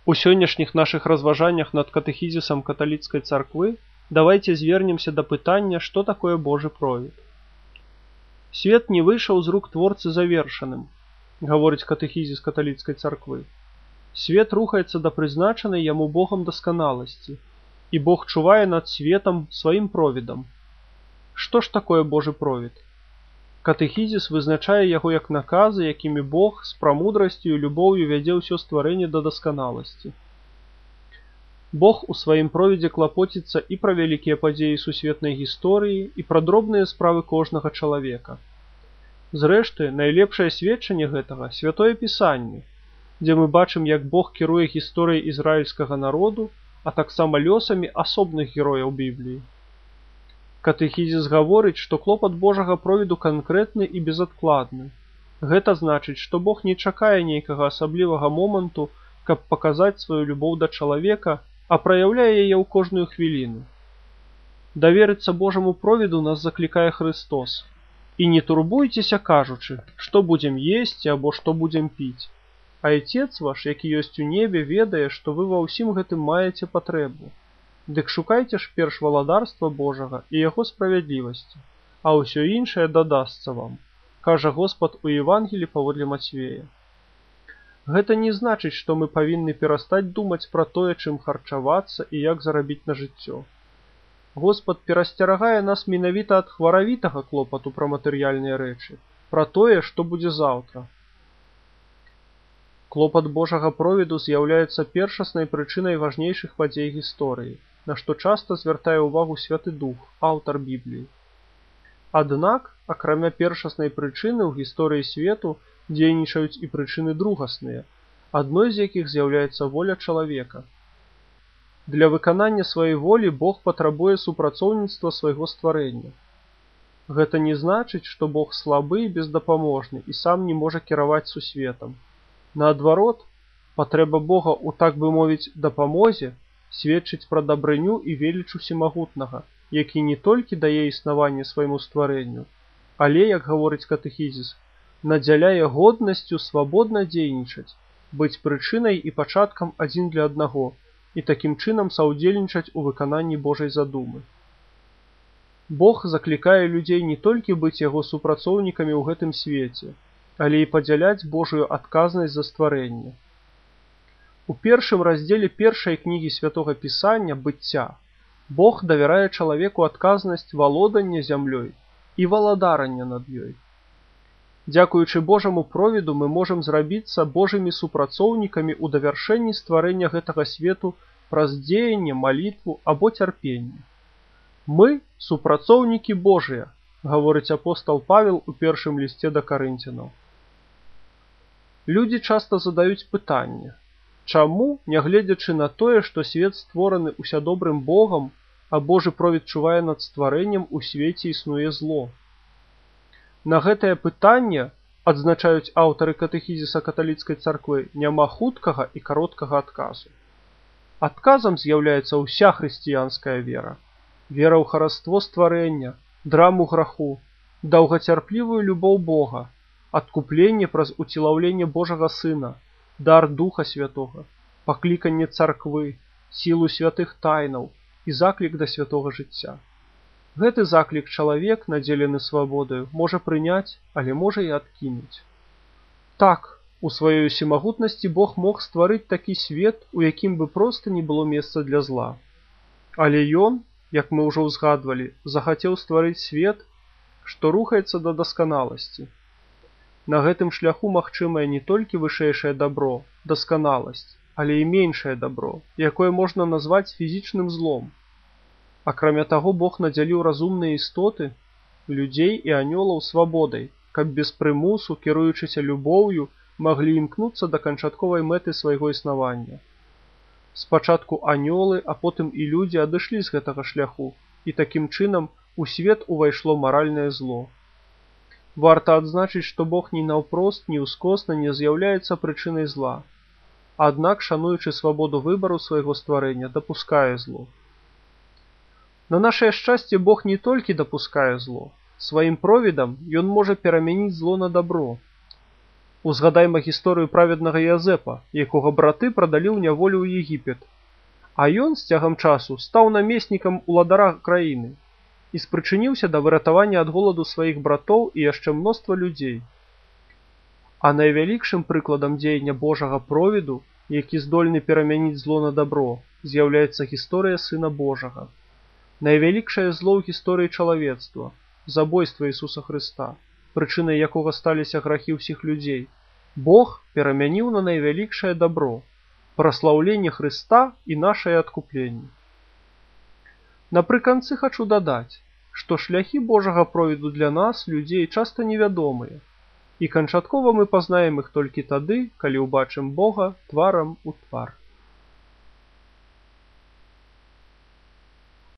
У сённяшніх нашых разважаннях над катэхізісам каталіцкай царквы давайце звернемся да пытання, што такое Божы провід. Свет не выйшаў з рук творцы завершаным, гаворыць катэхізіс каталіцкай царквы. Свет рухаецца да прызначанай яму Богам дасканаласці, і Бог чувае над светам сваім провідам. Што ж такое Божы провід? Катэхізіс вызначае яго як наказы, якімі Бог з прамудрасцю і любоўю вядзе ўсё стварэнне да дасканаласці. Бог у сваім провідзе клапоціцца і пра вялікія падзеі сусветнай гісторыі, і пра дробныя справы кожнага чалавека. Зрэшты, найлепшае сведчанне гэтага – Святое Пісанне, дзе мы бачым, як Бог кіруе гісторыяй ізраільскага народу, а таксама лёсамі асобных герояў Бібліі. Катэхізіс гаворыць, што клопат Божага провіду канкрэтны і безадкладны. Гэта значыць, што Бог не чакае нейкага асаблівага моманту, каб паказаць сваю любоў да чалавека, а праяўляе яе ў кожную хвіліну. Даверыцца Божаму провіду нас заклікае Христос. І не турбуйцеся, кажучы, што будзем есці або што будзем піць. Айцец ваш, які ёсць у небе, ведае, што вы ва ўсім гэтым маеце патрэбу. Дык шукайце ж перш валадарства Божага і яго справядлівасці, а ўсё іншае дадасца вам, кажа Господ у Евангелі паводле Мацвея. Гэта не значыць, што мы павінны перастаць думаць пра тое, чым харчавацца і як зарабіць на жыццё. Господ перасцерагае нас менавіта ад хваравітага клопату пра матэрыяльныя рэчы, пра тое, што будзе заўтра. Клопат Божага провіду з'яўляецца першаснай прычынай важнейшых падзей гісторыі, на што часта звяртае ўвагу Святы Дух, аўтар Бібліі. Аднак, акрамя першаснай прычыны ў гісторыі свету дзейнічаюць і прычыны другасныя, адной з якіх з'яўляецца воля чалавека. Для выканання сваёй волі Бог патрабуе супрацоўніцтва свайго стварэння. Гэта не значыць, што Бог слабы і бездапаможны і сам не можа кіраваць сусветам. Наадварот, патрэба Бога ў, так бы мовіць, дапамозе сведчыць пра дабрыню і веліч усемагутнага, які не толькі дае існаванне свайму стварэнню, але, як гаворыць катэхізіс, надзяляе годнасцю свабодна дзейнічаць, быць прычынай і пачаткам адзін для аднаго і такім чынам саўдзельнічаць у выкананні Божай задумы. Бог заклікае людзей не толькі быць яго супрацоўнікамі ў гэтым свеце, але і падзяляць Божую адказнасць за стварэнне. У першым раздзеле першай кнігі Святога Пісання «Быцця» Бог давярае чалавеку адказнасць валодання зямлёй і валадарання над ёй. Дзякуючы Божаму провіду мы можам зрабіцца Божымі супрацоўнікамі ў давяршэнні стварэння гэтага свету праз дзеянне, малітву або цярпенне. Мы – супрацоўнікі Божыя, гаворыць апостал Павел у першым лісце да Карынцянаў. Людзі часта задаюць пытанне, чаму, нягледзячы на тое, што свет створаны усядобрым Богам, а Божы провід чувае над стварэннем, у свеце існуе зло? На гэтае пытанне, адзначаюць аўтары катэхізіса каталіцкай царквы, няма хуткага і кароткага адказу. Адказам з'яўляецца ўся хрысціянская вера. Вера ў хараство стварэння, драму граху, даўгацярплівую любоў Бога, адкупленне праз уцілаўленне Божага Сына, дар Духа Святога, пакліканне царквы, сілу святых тайнаў і заклік да святога жыцця. Гэты заклік чалавек, надзелены свабодаю, можа прыняць, але можа і адкінуць. Так, у сваёй усемагутнасці Бог мог стварыць такі свет, у якім бы проста не было месца для зла. Але Ён, як мы ўжо ўзгадвалі, захацеў стварыць свет, што рухаецца да дасканаласці. На гэтым шляху магчымае не толькі вышэйшае дабро, дасканаласць, але і меншае дабро, якое можна назваць фізічным злом. Акрамя таго, Бог надзяліў разумныя істоты, людзей і анёлаў свабодай, каб без прымусу, кіруючыся любоўю, маглі імкнуцца да канчатковай мэты свайго існавання. Спачатку анёлы, а потым і людзі адышлі з гэтага шляху, і такім чынам у свет увайшло маральнае зло. Варта адзначыць, што Бог ні наўпрост, ні ўскосна не з'яўляецца прычынай зла. Аднак, шануючы свабоду выбару свайго стварэння, дапускае зло. На нашае шчасце Бог не толькі дапускае зло, сваім провідам Ён можа перамяніць зло на дабро. Узгадайма гісторыю праведнага Язэпа, якога браты прадалі ў няволю ў Егіпет. А ён з цягам часу стаў намеснікам уладара краіны і спрычыніўся да выратавання ад голаду сваіх братоў і яшчэ мноства людзей. А найвялікшым прыкладам дзеяння Божага провіду, які здольны перамяніць зло на дабро, з'яўляецца гісторыя Сына Божага. Найвялікшае зло ў гісторыі чалавецтва, забойства Ісуса Хрыста, прычынай якога сталіся грахі ўсіх людзей, Бог перамяніў на найвялікшае дабро, праслаўленне Хрыста і нашае адкупленне. Напрыканцы хачу дадаць, што шляхі Божага провіду для нас, людзей, часта невядомыя, і канчаткова мы пазнаем іх толькі тады, калі ўбачым Бога тварам у твар.